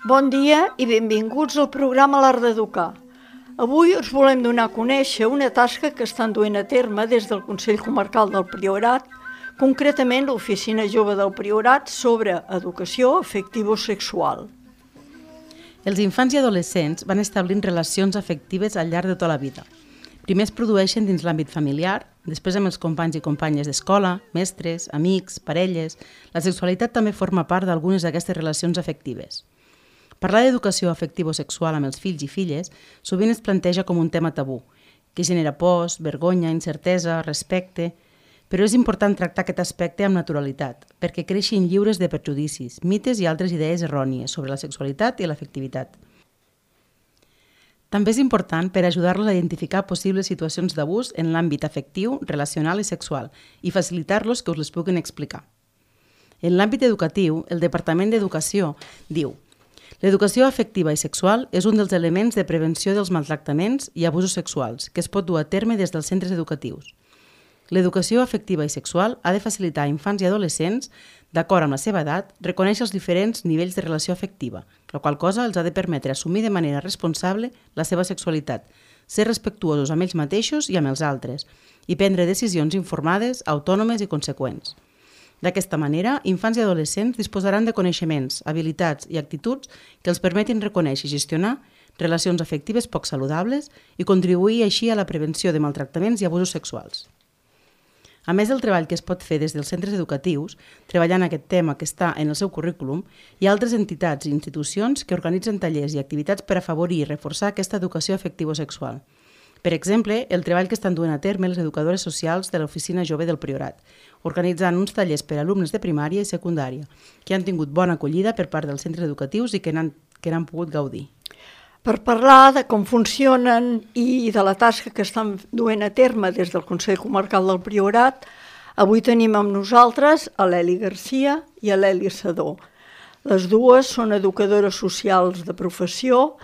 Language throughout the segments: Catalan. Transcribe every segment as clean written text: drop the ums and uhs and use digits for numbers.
Bon dia i benvinguts al programa L'Art d'Educar. Avui us volem donar a conèixer una tasca que estan duent a terme des del Consell Comarcal del Priorat, concretament l'Oficina Jove del Priorat sobre educació afectivo-sexual. Els infants i adolescents van establint relacions afectives al llarg de tota la vida. Primer es produeixen dins l'àmbit familiar, després amb els companys i companyes d'escola, mestres, amics, parelles. La sexualitat també forma part d'algunes d'aquestes relacions afectives. Parlar d'educació afectivo-sexual amb els fills i filles sovint es planteja com un tema tabú, que genera pors, vergonya, incertesa, respecte, però és important tractar aquest aspecte amb naturalitat, perquè creixin lliures de prejudicis, mites i altres idees errònies sobre la sexualitat i l'afectivitat. També és important per ajudar-los a identificar possibles situacions d'abús en l'àmbit afectiu, relacional i sexual i facilitar-los que us les puguin explicar. En l'àmbit educatiu, el Departament d'Educació diu: l'educació afectiva i sexual és un dels elements de prevenció dels maltractaments i abusos sexuals que es pot dur a terme des dels centres educatius. L'educació afectiva i sexual ha de facilitar a infants i adolescents, d'acord amb la seva edat, reconèixer els diferents nivells de relació afectiva, la qual cosa els ha de permetre assumir de manera responsable la seva sexualitat, ser respectuosos amb ells mateixos i amb els altres, i prendre decisions informades, autònomes i conseqüents. D'aquesta manera, infants i adolescents disposaran de coneixements, habilitats i actituds que els permetin reconèixer i gestionar relacions afectives poc saludables i contribuir així a la prevenció de maltractaments i abusos sexuals. A més del treball que es pot fer des dels centres educatius, treballant aquest tema que està en el seu currículum, hi ha altres entitats i institucions que organitzen tallers i activitats per afavorir i reforçar aquesta educació afectivo-sexual. Per exemple, el treball que estan duent a terme les educadores socials de l'Oficina Jove del Priorat, organitzant uns tallers per a alumnes de primària i secundària, que han tingut bona acollida per part dels centres educatius i que n'han pogut gaudir. Per parlar de com funcionen i de la tasca que estan duent a terme des del Consell Comarcal del Priorat, avui tenim amb nosaltres a l'Eli Garcia i a l'Eli Sadó. Les dues són educadores socials de professió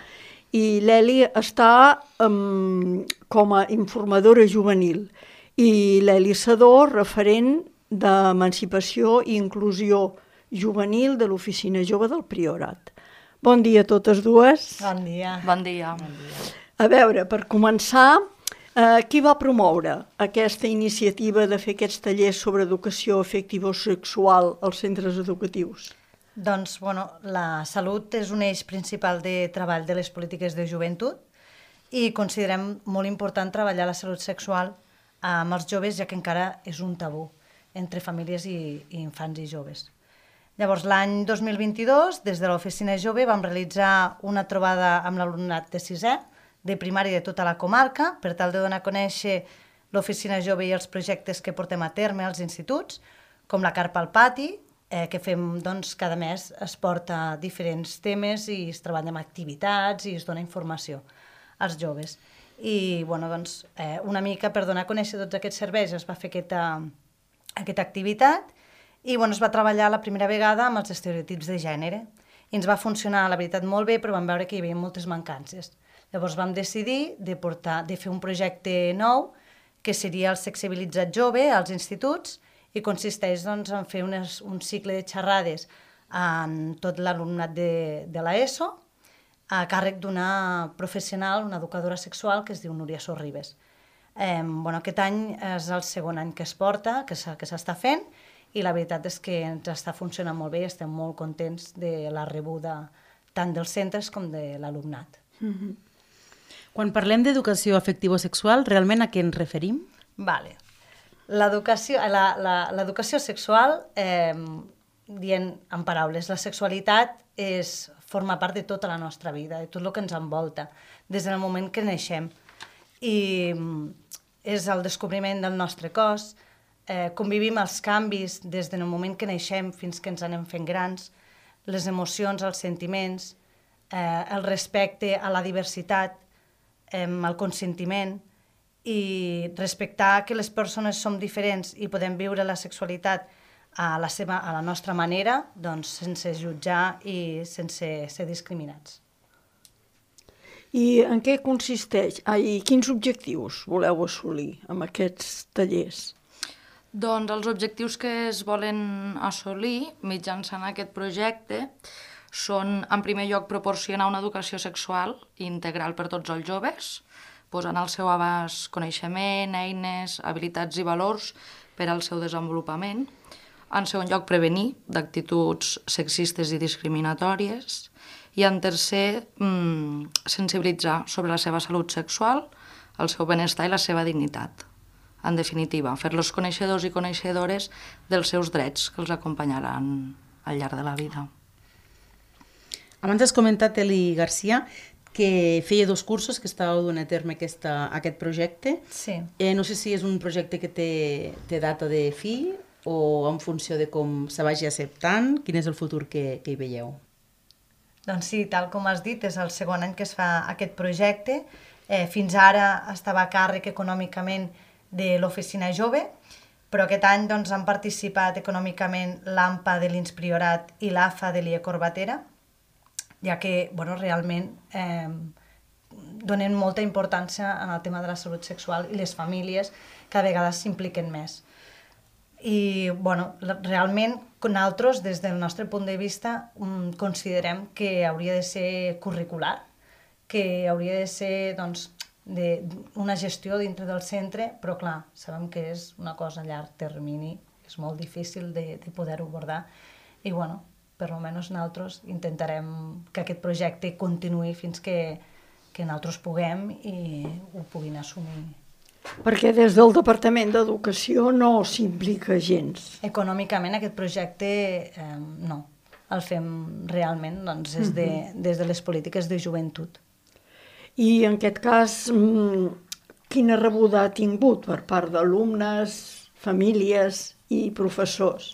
i l'Eli està com a informadora juvenil i l'Eli Sadó referent d'emancipació i inclusió juvenil de l'Oficina Jove del Priorat. Bon dia a totes dues. Bon dia. Bon dia. A veure, per començar, qui va promoure aquesta iniciativa de fer aquests tallers sobre educació afectivo-sexual als centres educatius? Doncs, la salut és un eix principal de treball de les polítiques de joventut i considerem molt important treballar la salut sexual amb els joves, ja que encara és un tabú entre famílies i infants i joves. Llavors, l'any 2022, des de l'Oficina Jove, vam realitzar una trobada amb l'alumnat de sisè, de primària de tota la comarca, per tal de donar a conèixer l'Oficina Jove i els projectes que portem a terme als instituts, com la carpa al pati, que fem cada mes, es porta diferents temes i es treballa amb activitats i es dona informació als joves. I una mica per donar a conèixer tots aquests serveis es va fer aquesta activitat i es va treballar la primera vegada amb els estereotips de gènere. I ens va funcionar, la veritat, molt bé, però vam veure que hi havia moltes mancances. Llavors vam decidir de fer un projecte nou, que seria el Sexibilitzat Jove als instituts, i consisteix en fer un cicle de xerrades amb tot l'alumnat de l'ESO, a càrrec d'una professional, una educadora sexual, que es diu Núria Sorribes. Aquest any és el segon any que es porta, que s'està fent, i la veritat és que ens està funcionant molt bé i estem molt contents de la rebuda tant dels centres com de l'alumnat. Quan parlem d'educació afectivo-sexual, realment a què ens referim? Vale. L'educació sexual, dient en paraules, la sexualitat forma part de tota la nostra vida, de tot el que ens envolta, des del moment que neixem. I és el descobriment del nostre cos, convivim els canvis des del moment que neixem fins que ens anem fent grans, les emocions, els sentiments, el respecte a la diversitat, el consentiment, i respectar que les persones som diferents i podem viure la sexualitat a la nostra manera, doncs sense jutjar i sense ser discriminats. I en què consisteix? I quins objectius voleu assolir amb aquests tallers? Doncs els objectius que es volen assolir mitjançant aquest projecte són, en primer lloc, proporcionar una educació sexual integral per tots els joves, posant al seu abast coneixement, eines, habilitats i valors per al seu desenvolupament. En segon lloc, prevenir d'actituds sexistes i discriminatòries. I en tercer, sensibilitzar sobre la seva salut sexual, el seu benestar i la seva dignitat. En definitiva, fer-los coneixedors i coneixedores dels seus drets que els acompanyaran al llarg de la vida. Abans has comentat, Eli Garcia, que feia 2 cursos que estàveu duent a terme aquest projecte. Sí. No sé si és un projecte que té data de fi o en funció de com se vagi acceptant. Quin és el futur que hi veieu? Doncs sí, tal com has dit, és el segon any que es fa aquest projecte. Fins ara estava a càrrec econòmicament de l'Oficina Jove, però aquest any doncs, han participat econòmicament l'AMPA de l'Ins Priorat i l'AFA de l'IE Corbatera, ja que realment donen molta importància en el tema de la salut sexual i les famílies cada vegada s'impliquen més. I realment nosaltres, des del nostre punt de vista, considerem que hauria de ser curricular, que hauria de ser una gestió dintre del centre, però clar, sabem que és una cosa a llarg termini, és molt difícil de poder-ho abordar i per almenys nosaltres intentarem que aquest projecte continuï fins que nosaltres puguem i ho puguin assumir. Perquè des del Departament d'Educació no s'implica gens. Econòmicament aquest projecte no, el fem realment des de les polítiques de joventut. I en aquest cas, quina rebuda ha tingut per part d'alumnes, famílies i professors?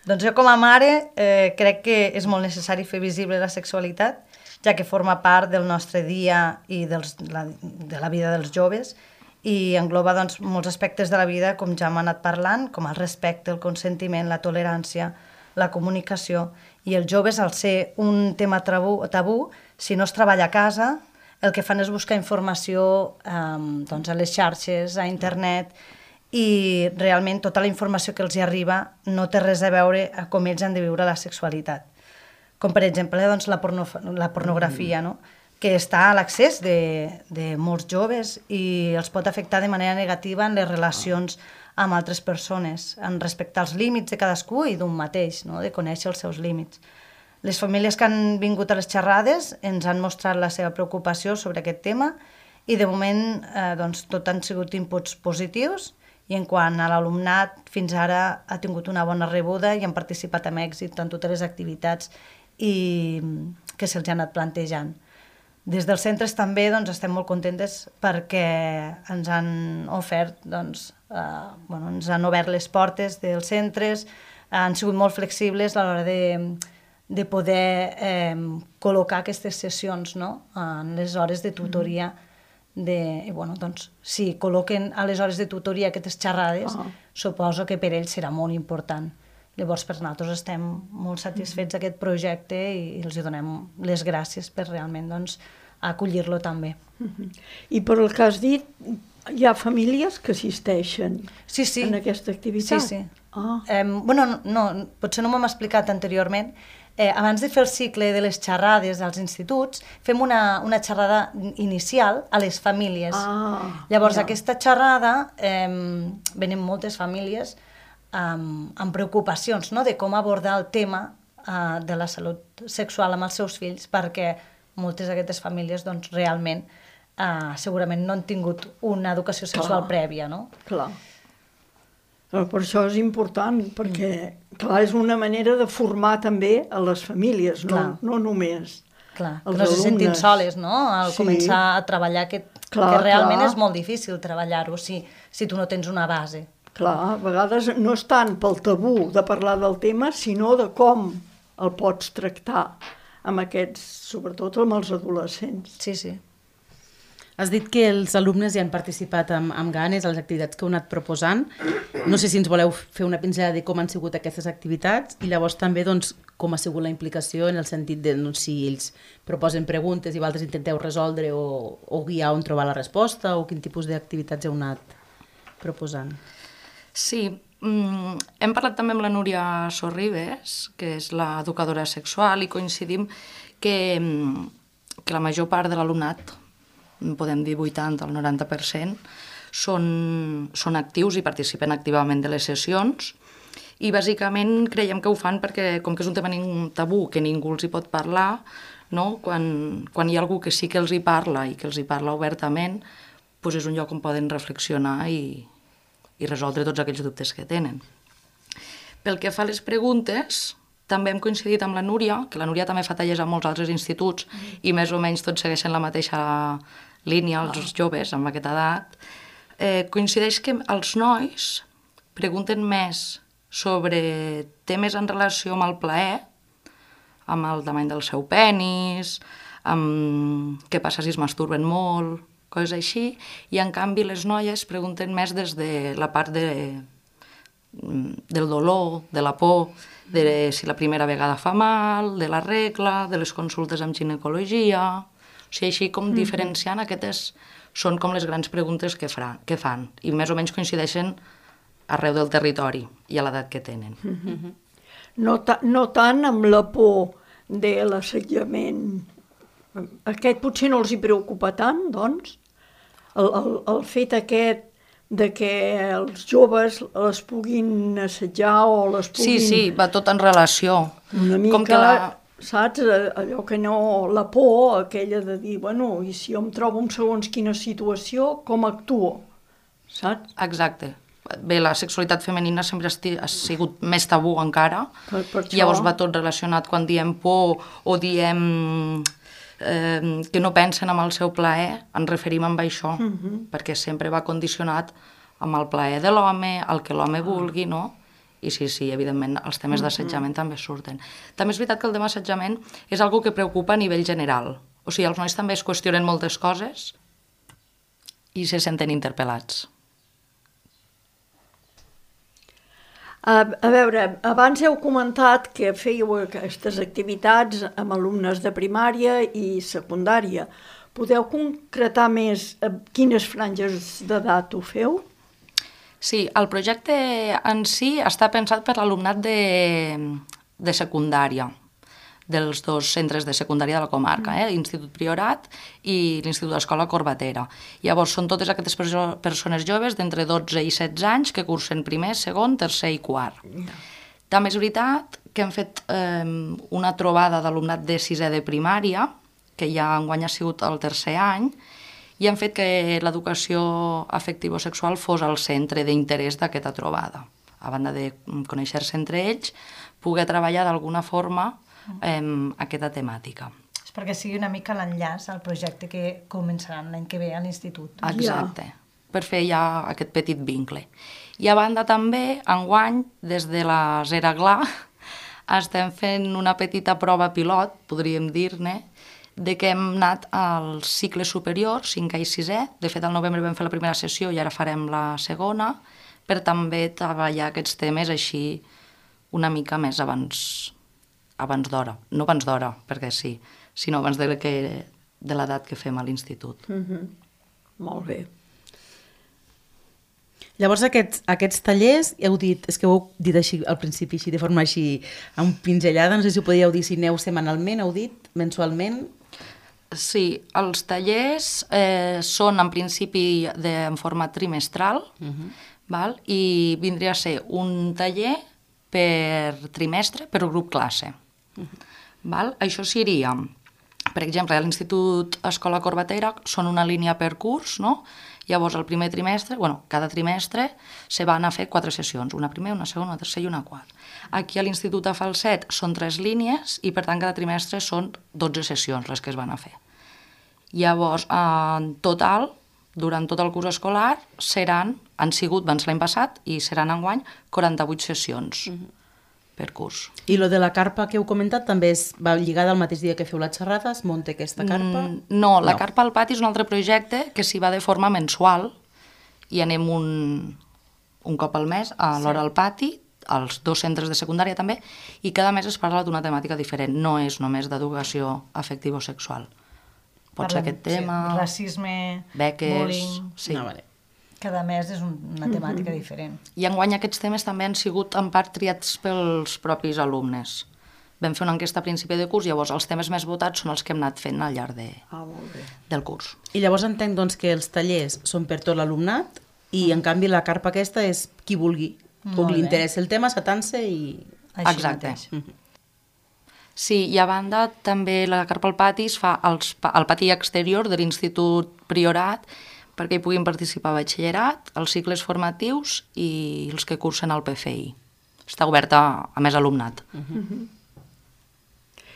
Doncs jo com a mare crec que és molt necessari fer visible la sexualitat, ja que forma part del nostre dia i de la vida dels joves i engloba molts aspectes de la vida, com ja hem anat parlant, com el respecte, el consentiment, la tolerància, la comunicació. I els joves, al ser un tema tabú, si no es treballa a casa, el que fan és buscar informació a les xarxes, a internet, i realment tota la informació que els hi arriba no té res a veure a com ells han de viure la sexualitat. Com per exemple la pornografia, que està a l'accés de molts joves i els pot afectar de manera negativa en les relacions amb altres persones, en respectar els límits de cadascú i d'un mateix, de conèixer els seus límits. Les famílies que han vingut a les xerrades ens han mostrat la seva preocupació sobre aquest tema i de moment tot han sigut inputs positius i en quant a l'alumnat fins ara ha tingut una bona rebuda i han participat amb èxit en totes les activitats que se'ls ha anat plantejant. Des dels centres també estem molt contentes perquè ens han ofert, ens han obert les portes dels centres, han sigut molt flexibles a l'hora de poder col·locar aquestes sessions en les hores de tutoria. Si col·loquen a les hores de tutoria aquestes xerrades, suposo que per ells serà molt important. Llavors, per nosaltres estem molt satisfets d'aquest projecte i els donem les gràcies per realment acollir-lo també. I per el que has dit, hi ha famílies que assisteixen en aquesta activitat? Sí. Potser no m'hem explicat anteriorment. Abans de fer el cicle de les xerrades als instituts, fem una xerrada inicial a les famílies. Llavors, aquesta xerrada, venen moltes famílies amb preocupacions de com abordar el tema de la salut sexual amb els seus fills, perquè moltes d'aquestes famílies realment segurament no han tingut una educació sexual prèvia. Clar. Per això és important, perquè és una manera de formar també a les famílies, no només Clar, que no se sentin soles, al començar a treballar que realment és molt difícil treballar-ho si tu no tens una base. Clar, a vegades no és tant pel tabú de parlar del tema, sinó de com el pots tractar amb aquests, sobretot amb els adolescents. Sí. Has dit que els alumnes ja han participat amb ganes a les activitats que heu anat proposant. No sé si ens voleu fer una pinzellada de com han sigut aquestes activitats i llavors també com ha sigut la implicació en el sentit de si ells proposen preguntes i vosaltres intenteu resoldre o guiar on trobar la resposta o quin tipus d'activitats heu anat proposant. Sí, hem parlat també amb la Núria Sorribes, que és l'educadora sexual, i coincidim que la major part de l'alumnat, podem dir 80 al 90%, són actius i participen activament de les sessions i bàsicament creiem que ho fan perquè com que és un tema tabú que ningú els hi pot parlar, no? Quan hi ha algú que sí que els hi parla i que els hi parla obertament, doncs és un lloc on poden reflexionar i resoldre tots aquells dubtes que tenen. Pel que fa a les preguntes, també hem coincidit amb la Núria, que la Núria també fa tallers a molts altres instituts i més o menys tots segueixen la mateixa línia, els joves amb aquesta edat. Coincideix que els nois pregunten més sobre temes en relació amb el plaer, amb el tamany del seu penis, amb què passa si es masturben molt, coses així, i en canvi les noies pregunten més des de la part del dolor, de la por, de si la primera vegada fa mal, de la regla, de les consultes amb ginecologia. O sigui, així com diferenciant, aquestes són com les grans preguntes que fan i més o menys coincideixen arreu del territori i a l'edat que tenen. No tant amb la por de l'assetjament. Aquest potser no els hi preocupa tant, doncs? El fet aquest de que els joves les puguin assetjar o les puguin... Sí, va tot en relació. Una mica, saps, allò que no... La por, aquella de dir, bueno, i si jo em trobo en segons quina situació, com actuo? Saps? Exacte. Bé, la sexualitat femenina sempre ha sigut més tabú encara, per això... llavors va tot relacionat quan diem por o diem que no pensen en el seu plaer, ens referim amb això, perquè sempre va condicionat amb el plaer de l'home, el que l'home vulgui, no? I sí, evidentment, els temes d'assetjament també surten. També és veritat que el tema d'assetjament és algo que preocupa a nivell general. O sigui, els nois també es qüestionen moltes coses i se senten interpel·lats. A veure, abans heu comentat que fèieu aquestes activitats amb alumnes de primària i secundària. Podeu concretar més quines franges d'edat ho feu? Sí, el projecte en si està pensat per l'alumnat de secundària, dels dos centres de secundària de la comarca, l'Institut Priorat i l'Institut d'Escola Corbatera. Llavors, són totes aquestes persones joves d'entre 12 i 16 anys que cursen primer, segon, tercer i quart. També és veritat que hem fet una trobada d'alumnat de sisè de primària, que ja enguany ha sigut el tercer any, i hem fet que l'educació afectivo-sexual fos el centre d'interès d'aquesta trobada. A banda de conèixer-se entre ells, poder treballar d'alguna forma aquesta temàtica. És perquè sigui una mica l'enllaç al projecte que començaran l'any que ve a l'institut. Exacte, per fer ja aquest petit vincle. I a banda també, enguany, des de la Zera Gla, estem fent una petita prova pilot, podríem dir-ne, de que hem anat al cicle superior, 5è i 6è. De fet, al novembre vam fer la primera sessió i ara farem la segona, per també treballar aquests temes així una mica més abans d'hora. No abans d'hora, perquè sí, sinó abans de l'edat que fem a l'institut. Molt bé. Llavors aquests tallers, heu dit, és que ho heu dit així al principi, així de forma així, amb pinzellada, no sé si ho podíeu dir si aneu setmanalment, heu dit, mensualment? Sí, els tallers són en principi en format trimestral, val? I vindria a ser un taller per trimestre, per grup classe. Val? Això seria, per exemple, a l'Institut Escola Corbatera són una línia per curs, no? Llavors, el primer trimestre, cada trimestre se van a fer 4 sessions, una primera, una segona, una tercera i una quarta. Aquí a l'Institut de Falset són 3 línies i, per tant, cada trimestre són 12 sessions les que es van a fer. Llavors, en total, durant tot el curs escolar, han sigut, van ser l'any passat, i seran enguany 48 sessions. per curs. I lo de la carpa que heu comentat també va lligada al mateix dia que feu la xerrada? Es munta aquesta carpa? No, la carpa al pati és un altre projecte que s'hi va de forma mensual i anem un cop al mes a l'hora al pati, als 2 centres de secundària també, i cada mes es parla d'una temàtica diferent, no és només d'educació afectivo-sexual. Pot ser aquest tema... Sí, racisme, beques... bullying... Sí. Ah, vale. Cada mes és una temàtica diferent. I enguany aquests temes també han sigut en part triats pels propis alumnes. Vam fer una enquesta a principi de curs, llavors els temes més votats són els que hem anat fent al llarg del curs. I llavors entenc doncs, que els tallers són per tot l'alumnat i en canvi la carpa aquesta és qui vulgui, o li interessa el tema, s'atansa i... Així Exacte. mateix. Sí, i a banda també la carpa al pati es fa al pati exterior de l'Institut Priorat perquè hi puguin participar batxillerat, els cicles formatius i els que cursen al PFI. Està oberta a més alumnat.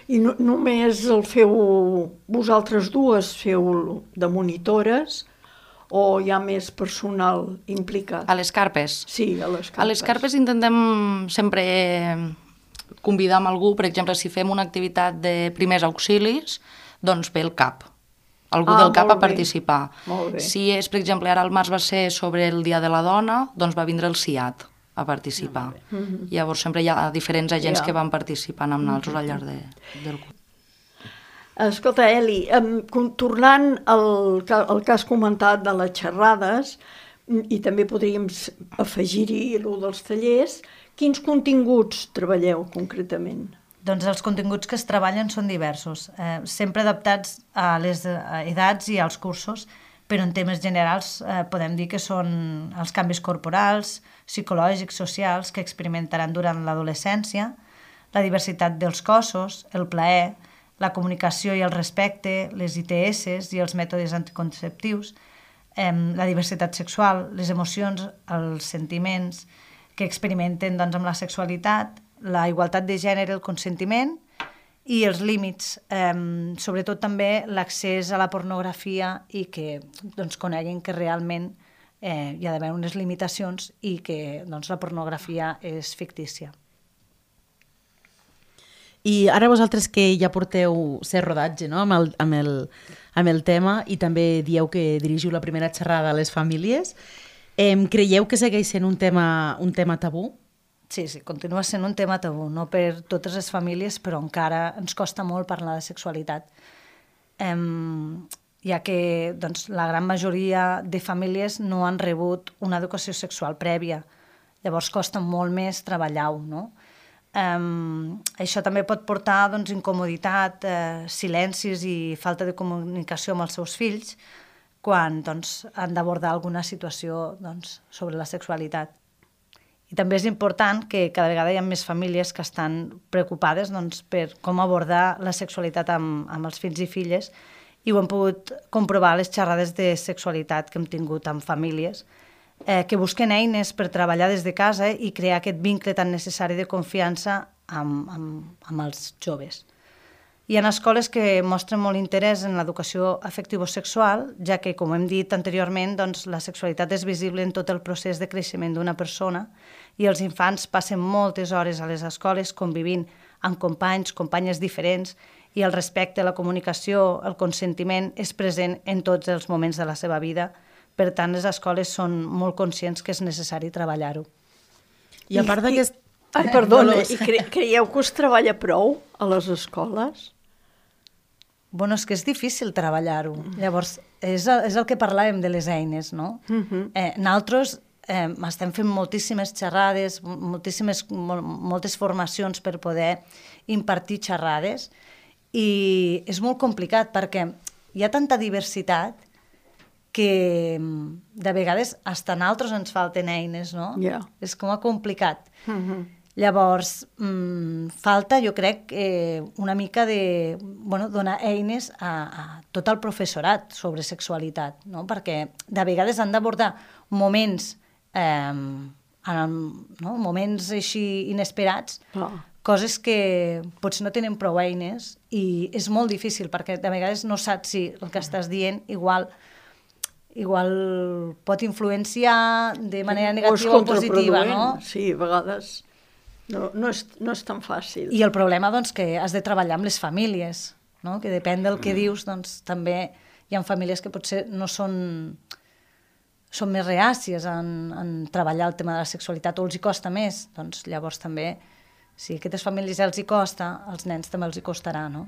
I només el feu vosaltres dues, feu de monitores, o hi ha més personal implicat? A les carpes? Sí, a les carpes. A les carpes intentem sempre convidar amb algú, per exemple, si fem una activitat de primers auxilis, doncs ve el CAP. Algú del CAP a participar. Molt bé. Si és, per exemple, ara al març va ser sobre el Dia de la Dona, doncs va vindre el CIAT a participar. Llavors sempre hi ha diferents agents que van participant amb nosaltres al llarg del curs. Escolta, Eli, tornant al que has comentat de les xerrades, i també podríem afegir-hi el dels tallers, quins continguts treballeu concretament? Doncs els continguts que es treballen són diversos, sempre adaptats a les edats i als cursos, però en temes generals podem dir que són els canvis corporals, psicològics, socials, que experimentaran durant l'adolescència, la diversitat dels cossos, el plaer, la comunicació i el respecte, les ITS i els mètodes anticonceptius, la diversitat sexual, les emocions, els sentiments que experimenten doncs, amb la sexualitat, la igualtat de gènere, el consentiment i els límits, sobretot també l'accés a la pornografia i que doncs, coneguin que realment hi ha d'haver unes limitacions i que doncs, la pornografia és fictícia. I ara vosaltres que ja porteu cert rodatge no? amb el tema i també dieu que dirigiu la primera xerrada a les famílies, creieu que segueix sent un tema tabú? Sí, continua sent un tema tabú, no per totes les famílies, però encara ens costa molt parlar de sexualitat. Ja que doncs, la gran majoria de famílies no han rebut una educació sexual prèvia, llavors costa molt més treballar-ho, no? Això també pot portar doncs, incomoditat, silencis i falta de comunicació amb els seus fills quan doncs, han d'abordar alguna situació doncs, sobre la sexualitat. I també és important que cada vegada hi ha més famílies que estan preocupades doncs, per com abordar la sexualitat amb els fills i filles i ho hem pogut comprovar a les xerrades de sexualitat que hem tingut amb famílies que busquen eines per treballar des de casa i crear aquest vincle tan necessari de confiança amb els joves. Hi ha escoles que mostren molt interès en l'educació afectivo-sexual, ja que, com hem dit anteriorment, doncs, la sexualitat és visible en tot el procés de creixement d'una persona i els infants passen moltes hores a les escoles convivint amb companys, companyes diferents i el respecte, la comunicació, el consentiment és present en tots els moments de la seva vida. Per tant, les escoles són molt conscients que és necessari treballar-ho. I a part d'aquest... Ai, perdona, i creieu que us treballa prou a les escoles? Bueno, és que és difícil treballar-ho. Llavors, és el que parlàvem de les eines, no? Nosaltres estem fent moltíssimes xerrades, moltes formacions per poder impartir xerrades i és molt complicat perquè hi ha tanta diversitat que de vegades fins a nosaltres ens falten eines, no? Yeah. És com a complicat. Llavors, falta, jo crec, una mica de donar eines a tot el professorat sobre sexualitat, no? Perquè de vegades han d'abordar moments, moments així inesperats, coses que potser no tenen prou eines i és molt difícil perquè de vegades no saps si el que estàs dient igual pot influenciar de manera negativa o positiva, no? Sí, a vegades. No és tan fàcil. I el problema, doncs, que has de treballar amb les famílies, no? Que depèn del que dius, doncs, també hi ha famílies que potser no són més reàcies en treballar el tema de la sexualitat o els hi costa més. Doncs llavors també, si a aquestes famílies els hi costa, als nens també els hi costarà, no?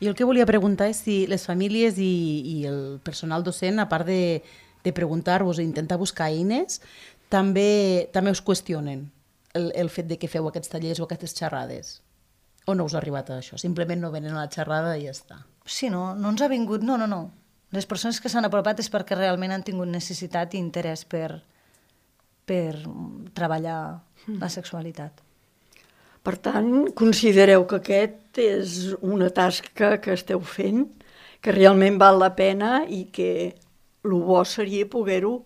Jo el que volia preguntar és si les famílies i el personal docent, a part de preguntar-vos i intentar buscar eines, també us qüestionen el fet de que feu aquests tallers o aquestes xerrades. O no us ha arribat a això? Simplement no venen a la xerrada i ja està. Sí, no ens ha vingut, no. Les persones que s'han apropat és perquè realment han tingut necessitat i interès per treballar la sexualitat. Per tant, considereu que aquest és una tasca que esteu fent, que realment val la pena i que el bo seria poder-ho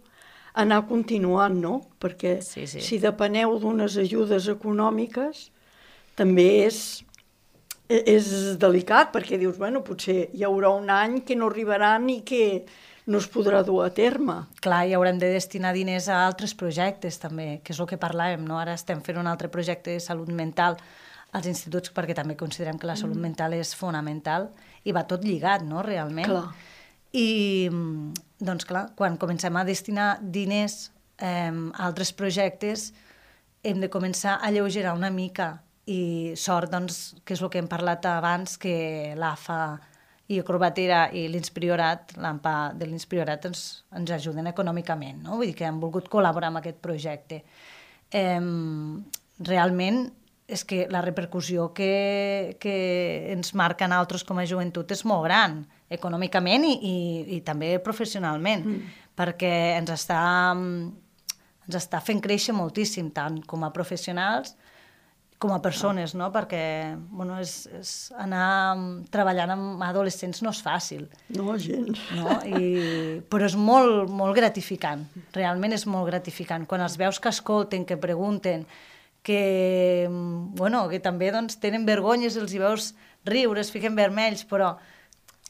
anar continuant, no? Perquè si depeneu d'unes ajudes econòmiques, també és delicat, perquè dius, bueno, potser hi haurà un any que no arribaran i que no es podrà dur a terme. Clar, i haurem de destinar diners a altres projectes també, que és el que parlàvem, no? Ara estem fent un altre projecte de salut mental als instituts perquè també considerem que la salut mental és fonamental i va tot lligat, no?, realment. Clar. I, doncs clar, quan comencem a destinar diners a altres projectes hem de començar a alleugerar una mica i sort, doncs, que és el que hem parlat abans, que l'AFA i Acrobatera i l'Inspiriorat, l'AMPA de l'Inspiriorat ens ajuden econòmicament, no? Vull dir que hem volgut col·laborar amb aquest projecte. Realment és que la repercussió que ens marca a nosaltres com a joventut és molt gran, econòmicament i també professionalment, perquè ens està fent créixer moltíssim, tant com a professionals com a persones, no? Perquè és anar treballant amb adolescents no és fàcil. No, gens. No? Però és molt, molt gratificant, realment és molt gratificant. Quan els veus que escolten, que pregunten, que també doncs, tenen vergonyes, els hi veus riure, es fiquen vermells, però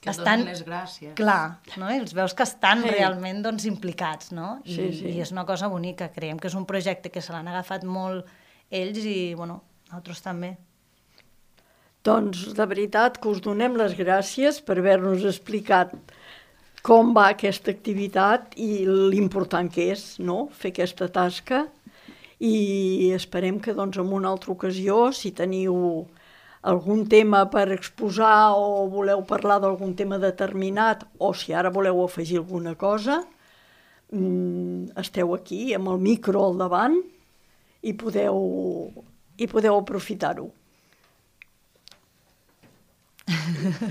que estan... donen les gràcies. Clar, no? I els veus que estan realment doncs, implicats, no? Sí. I és una cosa bonica. Creiem que és un projecte que se l'han agafat molt ells i, nosaltres també. Doncs, de veritat, que us donem les gràcies per haver-nos explicat com va aquesta activitat i l'important que és, no?, fer aquesta tasca. I esperem que, doncs, en una altra ocasió, si teniu algun tema per exposar o voleu parlar d'algun tema determinat, o si ara voleu afegir alguna cosa, esteu aquí amb el micro al davant i podeu aprofitar-ho.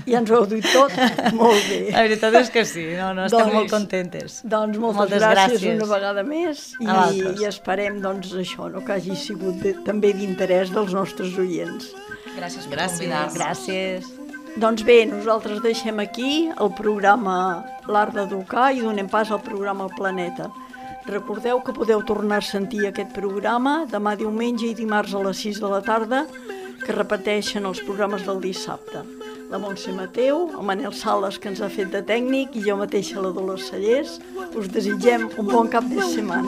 Ja ens ho heu dit tot? Molt bé. La veritat és que sí, estem molt contentes. Doncs moltes gràcies una vegada més i esperem això, que hagi sigut també d'interès dels nostres oients. Gràcies per convidar-nos. Gràcies. Doncs bé, nosaltres deixem aquí el programa L'Art d'Educar i donem pas al programa El Planeta. Recordeu que podeu tornar a sentir aquest programa demà diumenge i dimarts a les 6 de la tarda, que repeteixen els programes del dissabte. La Montse Mateu, el Manel Sales, que ens ha fet de tècnic, i jo mateixa, la Dolors Cellers, us desitgem un bon cap de setmana.